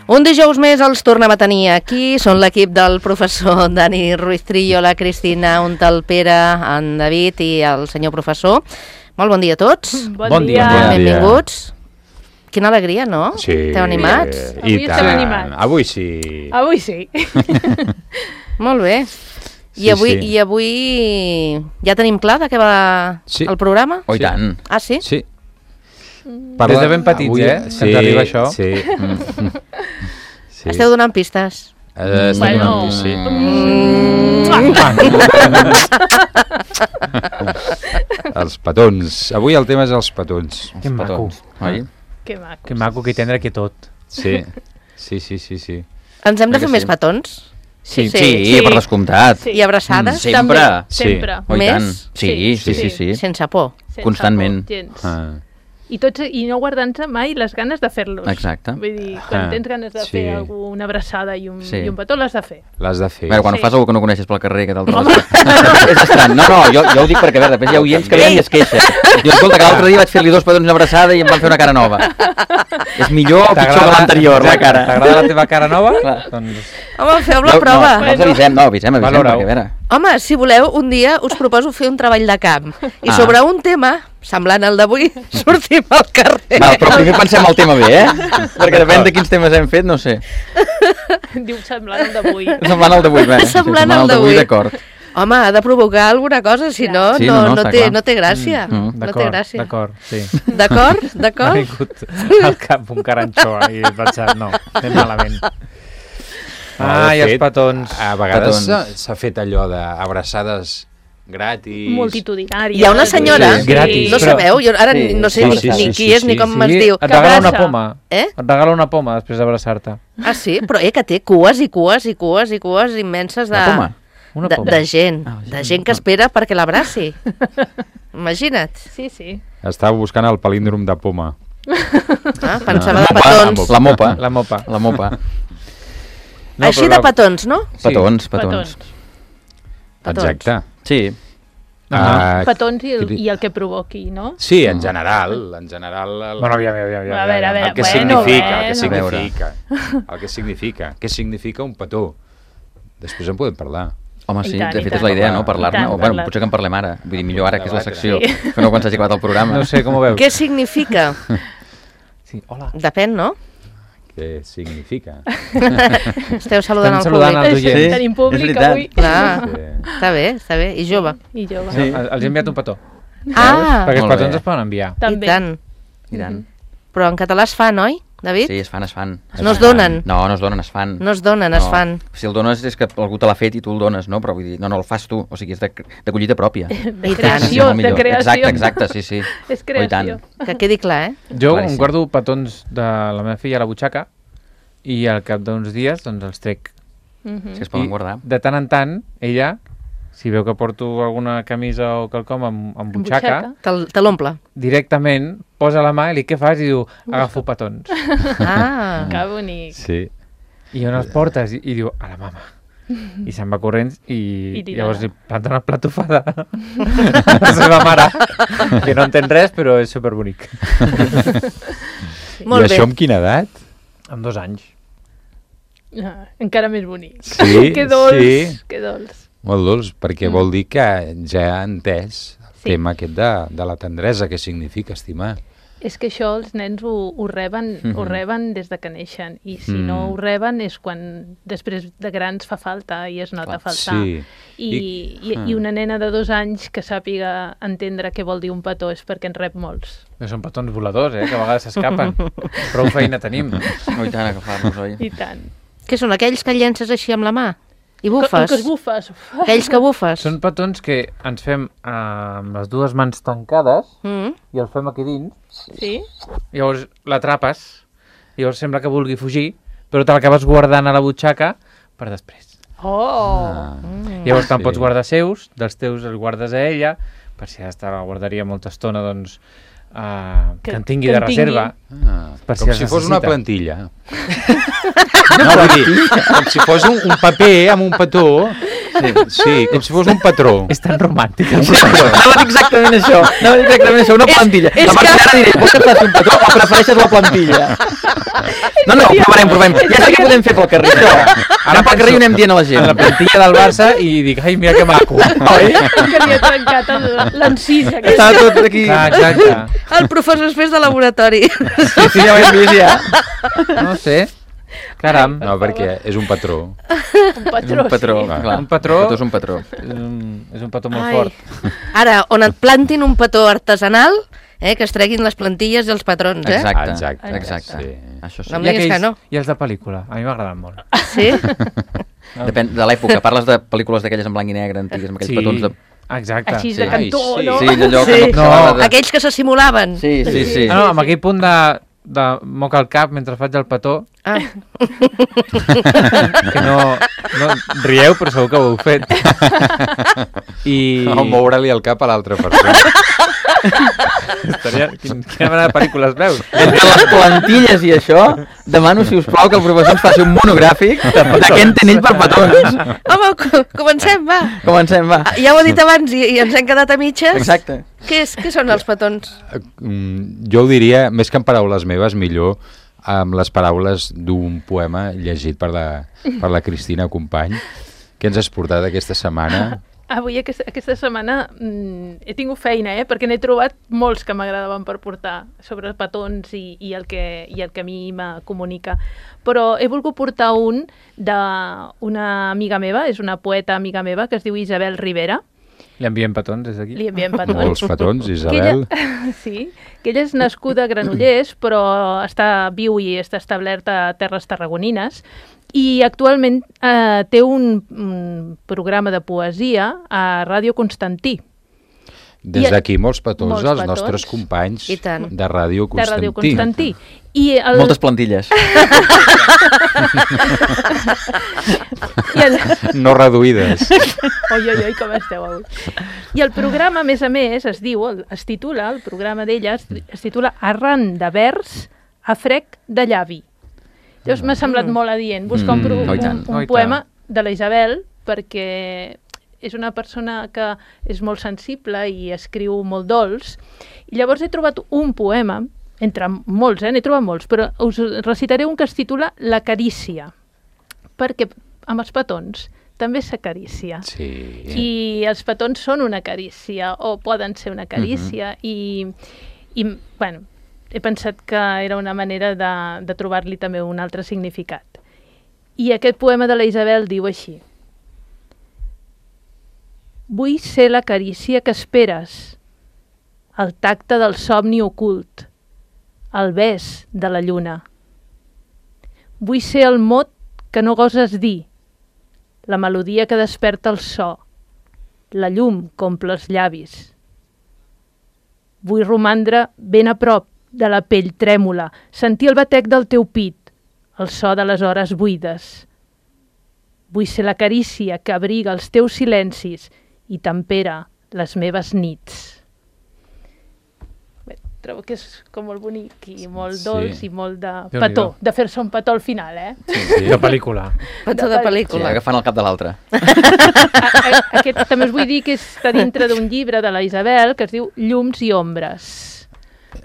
Un dijous més els tornem a tenir aquí. Són l'equip del professor Dani Ruiz Trillo, la Cristina, el Pere, en David i el senyor professor. Molt bon dia a tots. Bon dia. Benvinguts. Quina alegria, no? Sí. Esteu animats? Avui estem animats. Avui sí. Avui sí. Molt bé. I avui ja tenim clar de què va el programa? Oh, i tant. Ah, sí? Sí. Des de ben petits, que ens arriba això. Sí. Esteu donant pistes? Estem donant pistes, sí. Els petons. Avui el tema és els petons. Que maco. Oi? Que maco. Que maco, que tendre aquí tot. Sí. Ens hem de fer més petons? Sí, per descomptat. I abraçades? Sempre. Sempre. Oh, i tant. Sí. Sí. Sense por. Constantment. I no guardant-se mai les ganes de fer-los. Exacte. Vull dir, quan tens ganes de fer alguna abraçada i un petó, l'has de fer. L'has de fer. Veure, quan fas algú que no coneixes pel carrer, que tal és estrany. No, jo ho dic perquè, a veure, després hi ha oients que venen i es queixa. Jo, escolta, que l'altre dia vaig fer-li 2 petons una abraçada i em van fer una cara nova. És millor o pitjor que l'anterior, la cara? T'agrada la teva cara nova? Doncs... Home, feu la prova. No ens avisem, perquè, a veure... Home, si voleu, un dia us proposo fer un treball de camp. I sobre un tema, semblant al d'avui, sortim al carrer. Val, però primer pensem el tema bé, Perquè depèn de quins temes hem fet, no sé. Diu semblant al d'avui. Semblant al d'avui, bé. Semblant al d'avui. D'acord. Home, ha de provocar alguna cosa, si no, no té gràcia. No té gràcia. D'acord, sí. D'acord? M'ha vingut al cap un caranxó i he pensat, no, anem malament. I els petons. A vegades s'ha fet allò d'abraçades gratis. Multitudinàries. Hi ha una senyora, gratis, no sabeu, jo ara no sé ni qui és ni com es diu. Et regala una poma. Et regala una poma després d'abraçar-te. Ah, sí? Però que té cues i cues immenses de gent. De gent que espera perquè l'abraci. Imagina't. Sí. Estava buscant el palíndrom de poma. Pensava de petons. La mopa. Així de petons, no? Petons. Exacte. Sí. Petons i el que provoqui, no? Sí, en general. Bueno, aviam. A veure, el que significa. Què significa un petó? Després en podem parlar. Home, sí, de fet és la idea, no? Parlar-ne. O bueno, potser que en parlem ara. Vull dir, millor ara, que és la secció, que no quan s'hagi acabat el programa. No sé, com ho veus? Què significa? Sí, hola. Depèn, no? Què significa? Esteu saludant al públic. Tenim públic avui. Està bé. I jove. Sí, els he enviat un petó. Perquè els petons es poden enviar. I tant. Però en català es fan, oi, David? Sí, es fan. No es donen? No es donen, es fan. No es donen, es fan. Si el dones és que algú te l'ha fet i tu el dones, no? Però vull dir, no el fas tu, o sigui, és de collita pròpia. De creació. Exacte, sí. És creació. Que quedi clar, Jo em guardo petons de la meva filla a la butxaca i al cap d'uns dies doncs els trec. Si es poden guardar. De tant en tant, ella, si veu que porto alguna camisa o quelcom amb butxaca, te l'omple. Directament posa la mà i què fas? I diu, agafo petons. Que bonic. Sí. I on els portes? I diu, a la mama. I se'n va corrents i llavors li planta una platofada a la seva mare, que no entén res, però és superbonic. I això amb quina edat? Amb 2 anys. Encara més bonic. Sí? Que dolç. Molt dolç, perquè vol dir que ja ha entès el tema aquest de la tendresa, que significa estimar. És que això els nens ho reben des de que neixen, i si no ho reben és quan després de grans fa falta i es nota faltar. I una nena de 2 anys que sàpiga entendre què vol dir un petó és perquè en rep molts. Són petons voladors, que a vegades s'escapen. Prou feina tenim. I tant, agafar-nos, oi? I tant. Què són, aquells que llences així amb la mà? I bufes? Que es bufes. Aquells que bufes? Són petons que ens fem amb les 2 mans tancades i el fem aquí dins. Sí. Llavors l'atrapes, llavors sembla que vulgui fugir, però te l'acabes guardant a la butxaca per després. Llavors te'n pots guardar seus, dels teus els guardes a ella, per si ha la guardaria molta estona, doncs que en tingui de reserva. Com si fos una plantilla. No, vull dir, com si fos un paper amb un petó Sí, com si fos un patró. És tan romàntic. Anava a dir exactament això, una plantilla. A partir d'ara diré, vols que et faci un patró o prefereixes la plantilla? No, provem. Ja sé que podem fer pel carrer, això. Ara pel carrer ho anem dient a la gent. La plantilla del Barça i dic, ai, mira que maco. Oi? Que li ha trencat l'encís. Està tot aquí. Exacte. El professor és de laboratori. Sí, ja ho hem vist, ja. No sé. Caram. No, perquè és un patró. Un patró, Un patró, sí. clar. Un patró. És un patró. És un petó molt Ai. fort. Ara, on et plantin un petó artesanal, que es treguin les plantilles i els patrons, Exacte. Sí. Això sí. No em diguis que no. I els de pel·lícula. A mi m'agraden molt. Sí? Depèn de l'època. Parles de pel·lícules d'aquelles en blanc i negre, antigues, amb aquells petons de... Exacte. Així Sí. de cantó, Ai, sí. no? Sí, allò que Sí. no s'haurà de... Aquells que se simulaven. Sí. Ah, no, amb aquell punt de moca al cap mentre faig el petó, Ah. que no rieu, però segur que ho heu fet. O moure-li el cap a l'altra persona. Quina mena de pel·lícules veus? Entre les plantilles i això, demano, si us plau, que el professor ens faci un monogràfic de què entén ell per petons. Home, comencem, va. Comencem, va. Ja ho he dit abans i ens hem quedat a mitges. Exacte. Què són els petons? Jo ho diria, més que en paraules meves, millor amb les paraules d'un poema llegit per la Cristina Company. Què ens has portat aquesta setmana? Avui, aquesta setmana, he tingut feina, perquè n'he trobat molts que m'agradaven per portar sobre petons i el que a mi me comunica. Però he volgut portar un d'una amiga meva, és una poeta amiga meva, que es diu Isabel Rivera. Li enviem petons des d'aquí? Li enviem petons. Molts petons, Isabel. Sí, que ella és nascuda a Granollers, però viu i està establerta a Terres Tarragonines, i actualment té un programa de poesia a Ràdio Constantí. Des d'aquí molts petons molts als petons. nostres companys I tant. de Ràdio De Ràdio Constantí. Constantí. Moltes plantilles. No reduïdes. Oi, com esteu avui. I el programa, a més, es titula, el programa d'ella es titula Arran de vers a frec de llavi. Llavors m'ha semblat molt adient buscar un poema de la Isabel, perquè és una persona que és molt sensible i escriu molt dolç, i llavors he trobat un poema, entre molts, n'he trobat molts, però us recitaré un que es titula La carícia, perquè amb els petons també s'acarícia. Sí. I els petons són una carícia, o poden ser una carícia, i bueno, he pensat que era una manera de trobar-li també un altre significat. I aquest poema de la Isabel diu així: vull ser la carícia que esperes, el tacte del somni ocult, el bes de la lluna. Vull ser el mot que no goses dir, la melodia que desperta el so, la llum que omple els llavis. Vull romandre ben a prop de la pell trèmola, sentir el batec del teu pit, el so de les hores buides. Vull ser la carícia que abriga els teus silencis i tempera les meves nits. Bé, trobo que és com molt bonic i molt dolç i molt de petó, de fer-se un petó al final, Sí. De pel·lícula. Petó de pel·lícula. Sí, agafant el cap de l'altre. Aquest també us vull dir que està dintre d'un llibre de la Isabel que es diu Llums i ombres.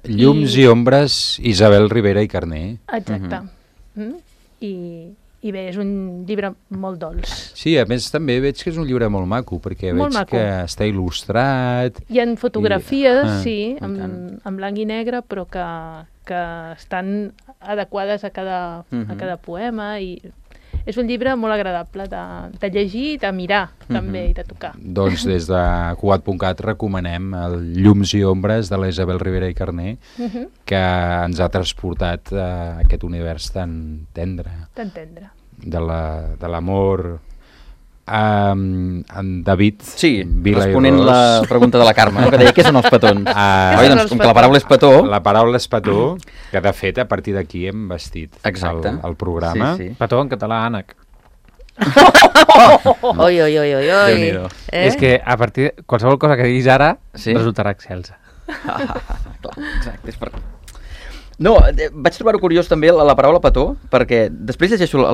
Llums i ombres, Isabel Rivera i Carner. Exacte. I bé, és un llibre molt dolç. Sí, a més també veig que és un llibre molt maco, perquè veig que està il·lustrat. Hi ha fotografies, en blanc i negre, però que estan adequades a cada poema, i és un llibre molt agradable de llegir i de mirar, també, i de tocar. Doncs des de Cugat.cat recomanem el Llums i ombres de la Isabel Rivera i Carner, que ens ha transportat a aquest univers tan tendre. Tan tendre. De l'amor en David Vila responent i Ros. la pregunta de la Carme, que deia què són els petons. Oi, doncs com que la paraula és petó... La paraula és petó, que de fet a partir d'aquí hem vestit el programa. Sí. Petó en català, ànec. Oi. És que a partir de qualsevol cosa que diguis ara resultarà excelsa. Clar, exacte, és per... No, vaig trobar-ho curiós també la paraula petó, perquè després llegeixo el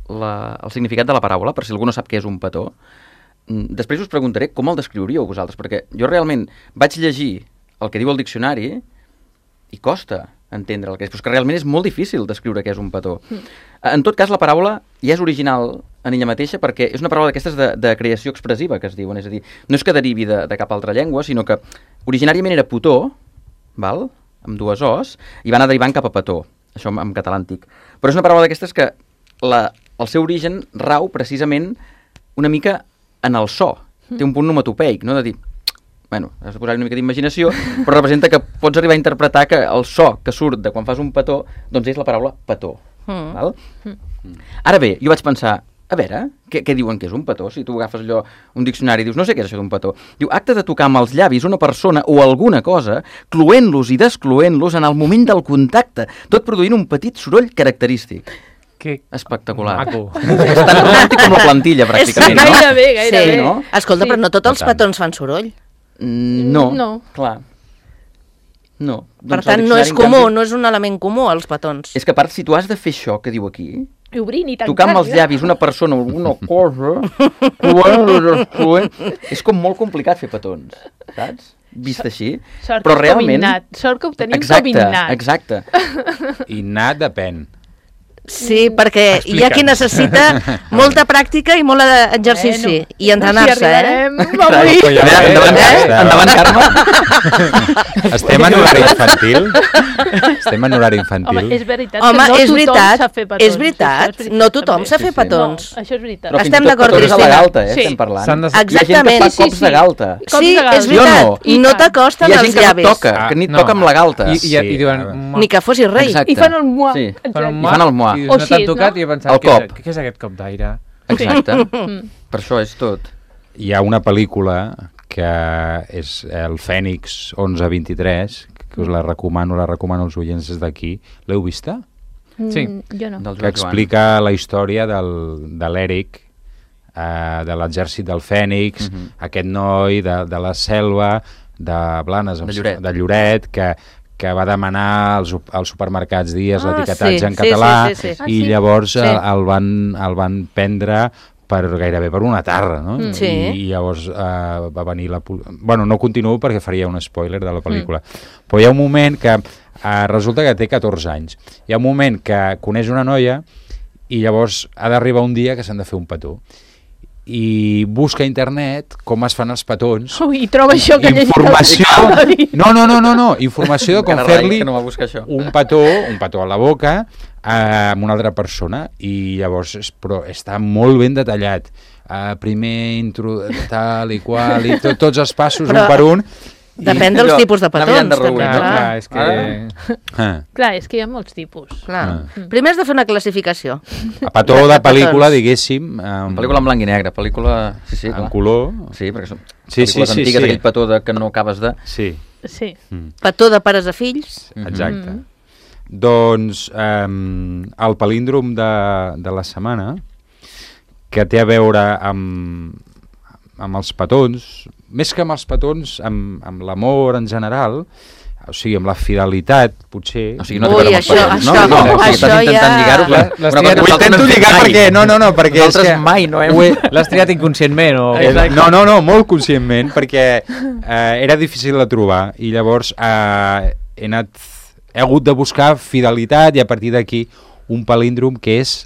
el significat de la paraula, per si algú no sap què és un petó. Després us preguntaré com el descriuríeu vosaltres, perquè jo realment vaig llegir el que diu el diccionari i costa entendre el que és, però és que realment és molt difícil descriure què és un petó. En tot cas, la paraula ja és original en ella mateixa perquè és una paraula d'aquestes de creació expressiva que es diuen, és a dir, no és que derivi de cap altra llengua, sinó que originàriament era potó, val? Amb dues os, i va anar derivant cap a petó, això en català antic. Però és una paraula d'aquestes que el seu origen rau precisament una mica en el so. Té un punt onomatopeic, no? De dir, bueno, has de posar una mica d'imaginació, però representa que pots arribar a interpretar que el so que surt de quan fas un petó, doncs és la paraula petó. Val? Ara bé, jo vaig pensar, a veure, què diuen que és un petó? Si tu agafes allò, un diccionari i dius, no sé què és això d'un petó. Diu, acte de tocar amb els llavis una persona o alguna cosa, cloent-los i descloent-los en el moment del contacte, tot produint un petit soroll característic. Que espectacular. maco. És tan romàntic com la plantilla, pràcticament, no? Gairebé. Sí, no? Escolta, però no tots els petons fan soroll. No, clar. No. Per tant, no és comú, no és un element comú, els petons. És que a part, si tu has de fer això que diu aquí, I obrint i tancant. tocar amb els llavis una persona o alguna cosa, és com molt complicat fer petons, saps? Vist així. Sort però que realment... Sort que ho tenim com innat. Exacte. Innat depèn. Sí, perquè hi ha qui necessita molta pràctica i molt exercici i entrenar-se, avui. Endavant, Carme. Estem en horari infantil? Estem en horari infantil? Home, és veritat Home, que és no tothom veritat, sap fer petons. és veritat, no tothom sap fer petons. No, això és veritat. Però fins Estem i tot d'acord, petons a la Cristina. galta, Sí. estem parlant. S'han de- Hi ha gent que Exactament. fa cops de galta. Sí, és Jo veritat, no. i no t'acosten Hi ha els gent que no llavis. toca, que ni no. toca amb la galta. I diuen... Ni que fossis rei. Exacte. I fan el muà. Sí. Exacte. I fan el muà. I O no t'han així, tocat no? i he pensat, El cop. què és aquest cop d'aire? Exacte. Per això és tot. Hi ha una pel·lícula que és el Fènix 1123, que us la recomano als oients des d'aquí. L'heu vista? Sí. Jo no. Del Que explica la història de l'Eric, de l'exèrcit del Fènix, aquest noi de la selva, de Blanes, De Lloret, que va demanar als supermercats dies l'etiquetatge sí, en català sí. i llavors Sí. el van prendre gairebé per una tarra, no? Sí. I llavors va venir la... Bueno, no continuo perquè faria un spoiler de la pel·lícula, però hi ha un moment que resulta que té 14 anys. Hi ha un moment que coneix una noia i llavors ha d'arribar un dia que s'han de fer un petó. I busca a internet com es fan els petons. Ui, i troba això que Informació... No, informació de com Encara rai fer-li que no va buscar això. un petó a la boca amb una altra persona i llavors però està molt ben detallat. Primer tal i qual i tots els passos Però un per un. Depèn dels allò, tipus de anar mirant de petons. reüll, també, no? clar. Clar, és que... Clar, és que hi ha molts tipus. Clar. Primer has de fer una classificació. A petó de pel·lícula, diguéssim, Pel·lícula en blanc i negre, pel·lícula... Sí, en clar. color. Sí, perquè són Sí, pel·lícules sí, antigues, sí. aquell petó que no acabes de... Sí, Sí. Petó de pares a fills. exacte. Doncs el palíndrom de la setmana, que té a veure amb els petons, més que amb els petons, amb l'amor en general, o sigui, amb la fidelitat, potser... O sigui, no té a veure amb els Ui, petons, no? això- No, o sigui, això estàs intentant ja- lligar-ho, però... Les una cosa tries- que Ho nosaltres intento no hem fet lligar mai. perquè... No, perquè és Nosaltres que... mai no hem... Ho he- L'has triat inconscientment o... No, molt conscientment, perquè era difícil de trobar i llavors he hagut de buscar fidelitat i a partir d'aquí un palíndrom que és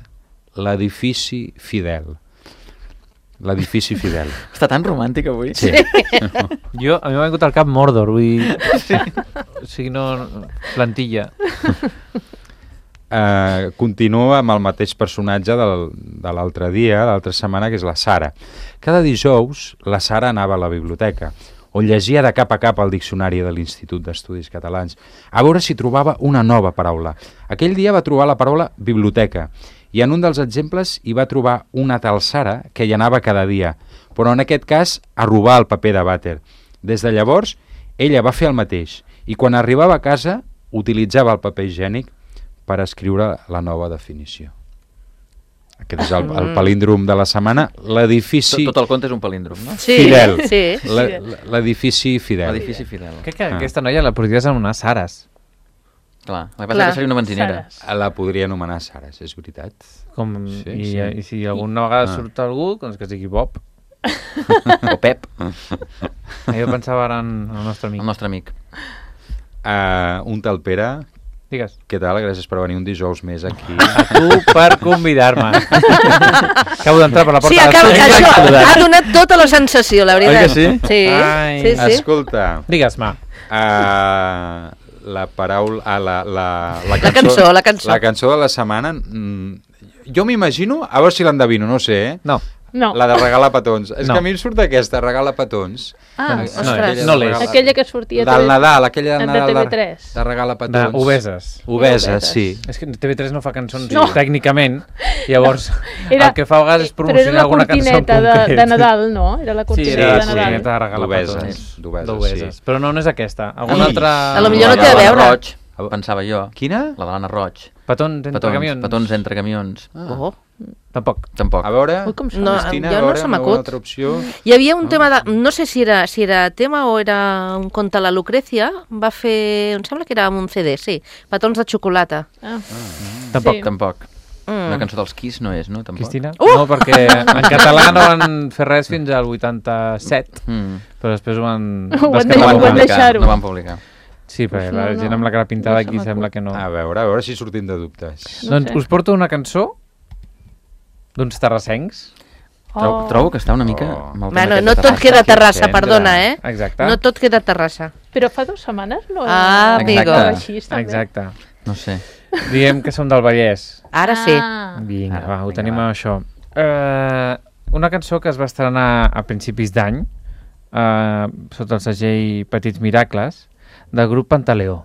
l'edifici fidel. L'edifici fidel. Està tan romàntic avui. Sí. A mi m'ha vingut al cap Mordor, vull dir... O sigui, no... Plantilla. Continua amb el mateix personatge de l'altre dia, l'altra setmana, que és la Sara. Cada dijous la Sara anava a la biblioteca, on llegia de cap a cap el diccionari de l'Institut d'Estudis Catalans, a veure si trobava una nova paraula. Aquell dia va trobar la paraula biblioteca, i en un dels exemples hi va trobar una tal Sara que hi anava cada dia, però en aquest cas a robar el paper de vàter. Des de llavors, ella va fer el mateix, i quan arribava a casa utilitzava el paper higiènic per escriure la nova definició. Aquest és el palíndrom de la setmana, l'edifici Tot el conte és un palíndrom, no? Sí, fidel. sí. L'edifici fidel. L'edifici fidel. Crec que aquesta noia la podries anomenar Sares. Clar, la que passa que seria una benzinera. La podria anomenar Sares, és veritat. I si alguna vegada surt algú, doncs que es digui Bob. O Pep. Jo pensava ara en el nostre amic. El nostre amic. Un tal Pere... Digues. Què tal? Gràcies per venir un dijous més aquí. A tu per convidar-me. Acabo d'entrar per la porta. Sí, això ha donat tota la sensació, la veritat. Oi que sí? Sí. Escolta. Digues-me. La paraula... La cançó de la setmana... Jo m'imagino, a veure si l'endevino, no sé, No. La de regalar petons. És que a mi em surt aquesta, regala petons. Ostres. No l'és. Aquella que sortia del Nadal, aquella del Nadal de TV3. de regalar petons. Obeses, sí. És que TV3 no fa cançons tècnicament, llavors el que fa a vegades és promocionar alguna cançó en concret. Però era la cortineta de Nadal, no? Era la cortineta de Nadal. Sí, era la cortineta de regalar petons. D'obeses. Però no és aquesta. Alguna altra... A lo millor no té a veure. Pensava jo. Quina? La de l'Anna Roig. Petons entre camions. Petons entre camions. Tampoc. A veure, Cristina, a veure, una altra opció. Hi havia un tema de... No sé si era tema o era un conte a la Lucrècia. Va fer... Em sembla que era amb un CD, sí. Petons de xocolata. Tampoc. Una cançó dels Kiss no és, no? Tampoc. Cristina? No, perquè en català no van fer res fins al 87, però després ho van... No van publicar. Sí, perquè la gent amb la cara pintada aquí sembla que no. A veure si sortim de dubtes. Doncs us porto una cançó d'uns terrassencs. Trobo que està una mica... Bueno, no tot queda a Terrassa, perdona, Exacte. No tot queda a Terrassa. Però fa 2 setmanes no? Amigo. Exacte. No sé. Diem que som del Vallès. Ara sí. Vinga, va, ho tenim amb això. Una cançó que es va estrenar a principis d'any, sota el segell Petits Miracles, del grup Pantaleó.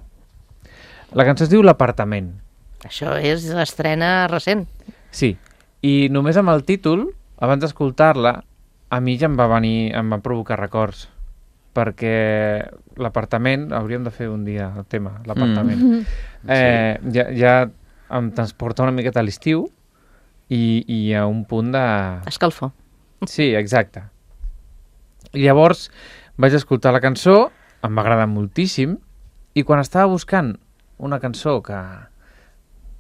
La cançó es diu L'apartament. Això és l'estrena recent. Sí, i només amb el títol, abans d'escoltar-la, a mi ja em va provocar records, perquè l'apartament, hauríem de fer un dia el tema, l'apartament, ja em transporta una miqueta a l'estiu i a un punt de... Escalfor. Sí, exacte. I llavors vaig escoltar la cançó, em va agradar moltíssim, i quan estava buscant una cançó que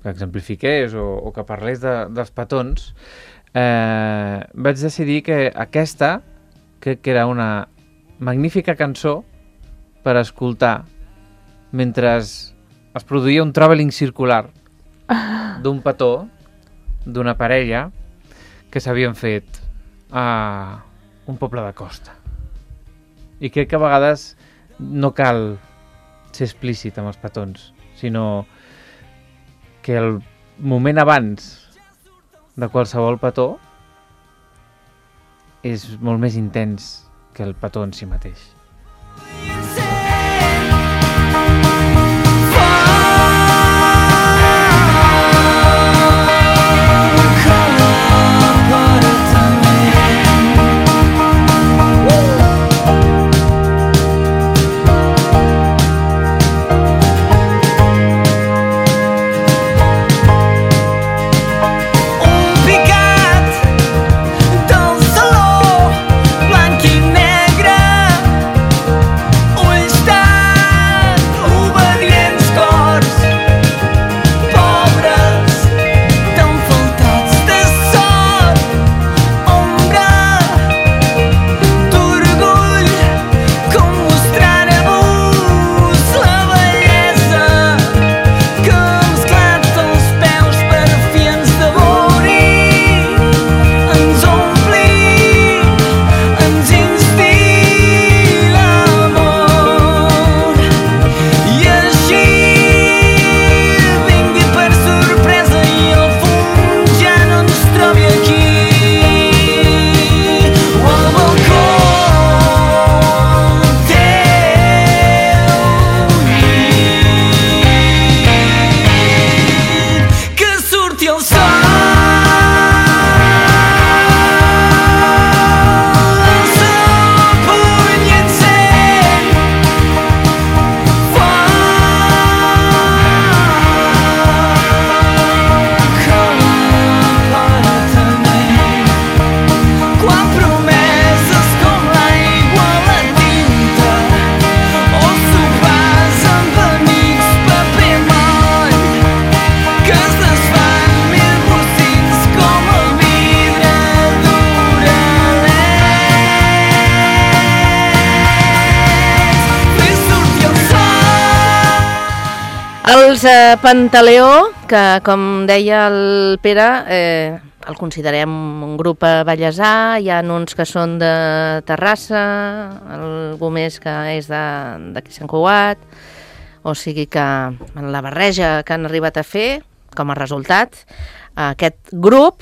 exemplifiqués o que parlés dels petons, vaig decidir que aquesta crec que era una magnífica cançó per escoltar mentre es produïa un travelling circular d'un petó, d'una parella que s'havien fet a un poble de costa. I crec que a vegades no cal ser explícit amb els petons, sinó que el moment abans de qualsevol petó és molt més intens que el petó en si mateix. Dans el saló blanc i negre Els Pantaleó, que com deia el Pere, el considerem un grup ballesà, hi ha uns que són de Terrassa, algú més que és d'aquí Sant Cugat, o sigui que en la barreja que han arribat a fer, com a resultat, aquest grup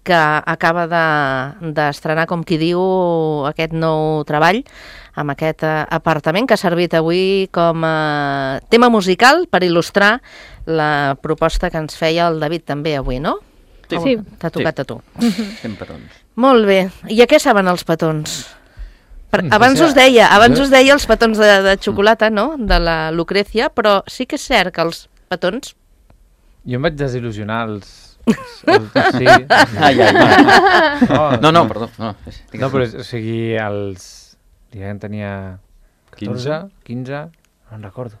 que acaba d'estrenar, com qui diu, aquest nou treball, amb aquest apartament que ha servit avui com a tema musical per il·lustrar la proposta que ens feia el David també avui, no? Sí. T'ha tocat a tu. Fem petons. Molt bé. I a què saben els petons? Abans us deia els petons de xocolata, no?, de la Lucrecia, però sí que és cert que els petons... Jo em vaig desil·lusionar sí. Ai. No, perdó. No, però, o sigui, diguem, tenia 15, no en recordo.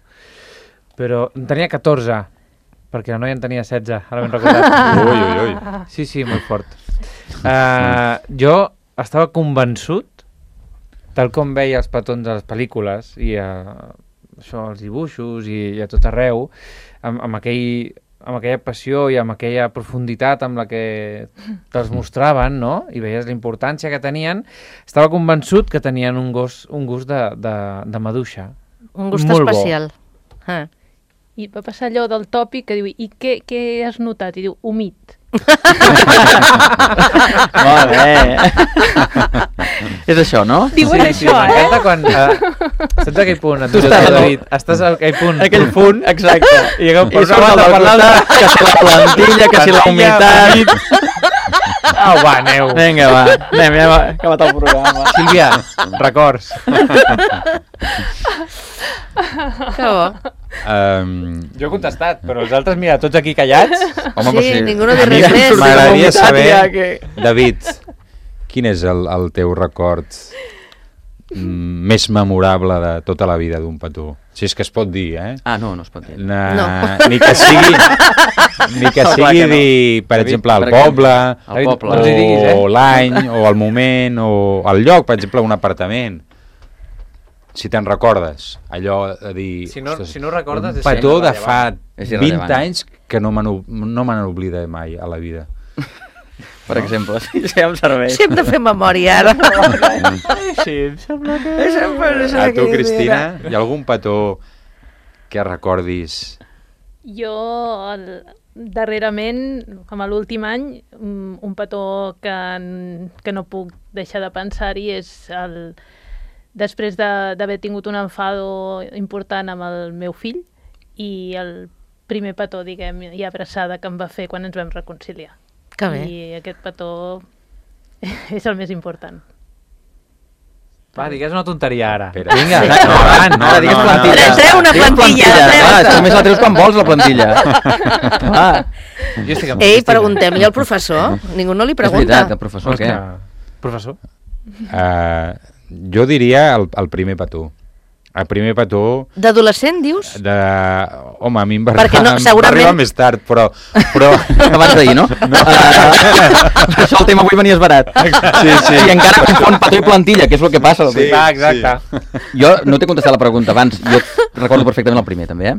Però en tenia 14, perquè la noia en tenia 16, ara ben recordat. Ui. Sí, molt fort. Jo estava convençut, tal com veia els petons a les pel·lícules, i això, els dibuixos, i a tot arreu, amb aquella passió i amb aquella profunditat amb la que te'ls mostraven, no? I veies la importància que tenien, estava convençut que tenien un gust de maduixa. Un gust molt especial. I va passar allò del tòpic que diu, i què has notat? I diu, humit. Molt bé. És això, no? Diuen això, m'encanta quan... saps aquell punt? Tu estàs, David, estàs al aquell punt. Aquell punt, exacte. I I surt el parlar que si la plantilla, que si la humitat... Va, aneu. Vinga, va. Anem, ja hem acabat el programa. Sílvia, records. Que bo. Jo he contestat, però els altres, mira, tots aquí callats. Home, Sí, però ningú no A diu mi res més. m'agradaria saber, ja que... David, quin és el teu record més memorable de tota la vida d'un petó? Si és que es pot dir, eh? Ah, no es pot dir. No. Ni que sigui, Clar que no. dir, per David, exemple, el per exemple, poble, el poble. No ens hi diguis, o l'any, o el moment, o el lloc, per exemple, un apartament. Si te'n recordes, allò de dir... Si no ostres, recordes, un és petó de fa És 20 irrellevant. anys que no me n'oblida mai a la vida. Per exemple, sí, em serveix. Sí, hem de fer memòria, ara. Sí, em sembla que... A tu, Cristina, hi ha algun petó que recordis? Jo, darrerament, com a l'últim any, un petó que no puc deixar de pensar-hi és després d'haver tingut un enfado important amb el meu fill i el primer petó, diguem, i abraçada que em va fer quan ens vam reconciliar. Que bé. I aquest petó és el més important. Va, digues una tonteria ara. Espera. Vinga, Sí. endavant. No, digues plantilla. Treu una Digues plantilla, treu. Clar, és que només la treus quan vols, la plantilla. Ah, Jo estic amb Ei, Cristina. preguntem-li al professor. Ningú no li és pregunta. veritat, el professor, què? Professor? Jo diria el primer petó. El primer petó D'adolescent, dius? Home, a mi em va Perquè no, segurament- arribar més tard, però... Abans d'ahir, no? Això el tema avui venies barat. Sí. I encara confon petó i plantilla, que és el que passa. Sí. Va, exacte. Jo no t'he contestat la pregunta abans, jo recordo perfectament el primer, també, eh?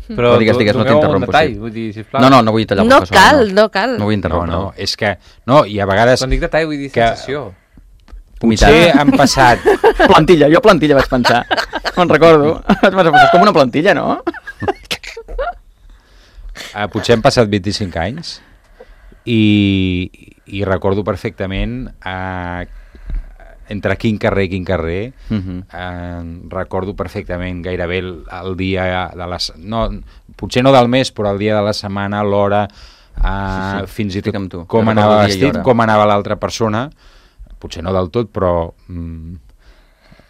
Però digues, no doneu un t'interrompo. detall, Sí. vull dir, sisplau. No vull tallar el No professor. cal, no cal. No vull No, interrompre. és que... No, i a vegades... Quan dic detall vull dir Que- sensació. Potser han passat... Plantilla, jo plantilla vaig pensar. Me'n recordo. Vaig pensar, és com una plantilla, no? Potser han passat 25 anys i recordo perfectament entre quin carrer i quin carrer recordo perfectament gairebé el dia de les... No, potser no del mes, però el dia de la setmana, l'hora, fins i estic amb tot tu. com Jo anava recordo dia i vestit, hora. com anava l'altra persona, potser no del tot, però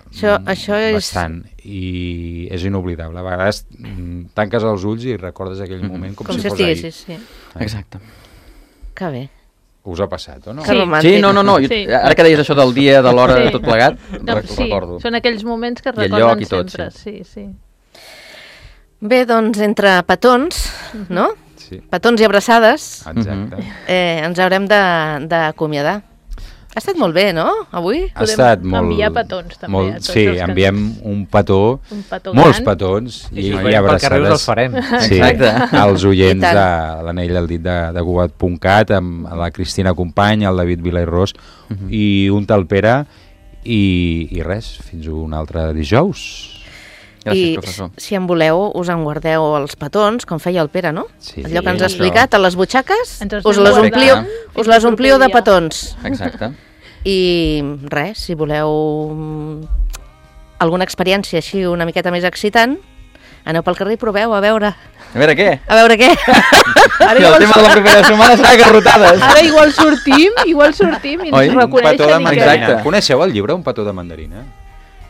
Això és... bastant, i és inoblidable. A vegades tanques els ulls i recordes aquell moment com si fos estiguessis, ahir. sí. Exacte. Que bé. Us ha passat, o no? Que Sí. romàntic. Sí, no, jo, Sí. ara que deies això del dia, de l'hora, Sí. tot plegat, No, ho recordo. són aquells moments que I el recorden lloc i tot, sempre. Sí. Bé, doncs, entre petons, no? Sí, Petons i abraçades, exacte. ens haurem d'acomiadar. Ha estat molt bé, no, avui? Ha estat molt... enviar petons, també, a tots sí, els que enviem un petó molts petons, i abraçades. Els farem. Sí, als oients I de l'Anell al dit de Cugat.cat, amb la Cristina Company, el David Vilairós, i un tal Pere, i res, fins un altre dijous. Gràcies, professor. Si en voleu, us en guardeu els petons, com feia el Pere, no? Sí, allò que ens ha explicat, a les butxaques, us les les ompliu de petons. Exacte. I res, si voleu alguna experiència així una miqueta més excitant, aneu pel carrer i proveu, a veure. A veure què? A veure què? I el tema de la propera setmana serà garrotades. Ara igual sortim i ens reconeixen. Exacte. Coneixeu el llibre Un petó de mandarina?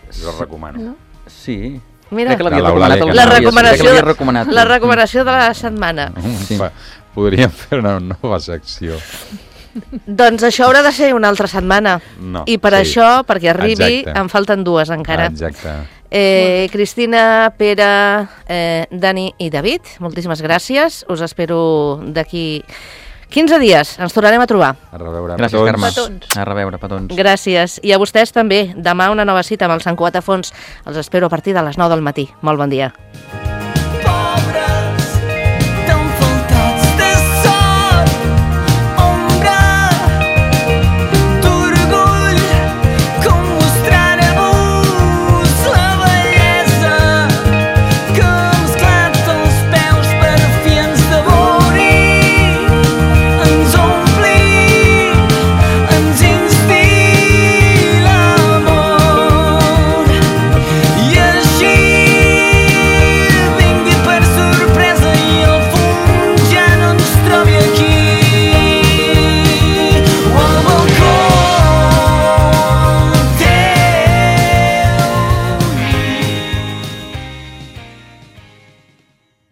Us el recomano. No? Sí. Mira, l'havia recomanat. La recomanació de la setmana. Sí. Podríem fer una nova secció. Doncs això haurà de ser una altra setmana. No, I per això, perquè arribi, exacte. en falten 2 encara. Exacte. Cristina, Pere, Dani i David, moltíssimes gràcies. Us espero d'aquí 15 dies. Ens tornarem a trobar. A reveure, gràcies, Carme. Petons. A reveure, petons. Gràcies. I a vostès també. Demà una nova cita amb el Sant Cugat a Fons. Els espero a partir de les 9 del matí. Molt bon dia.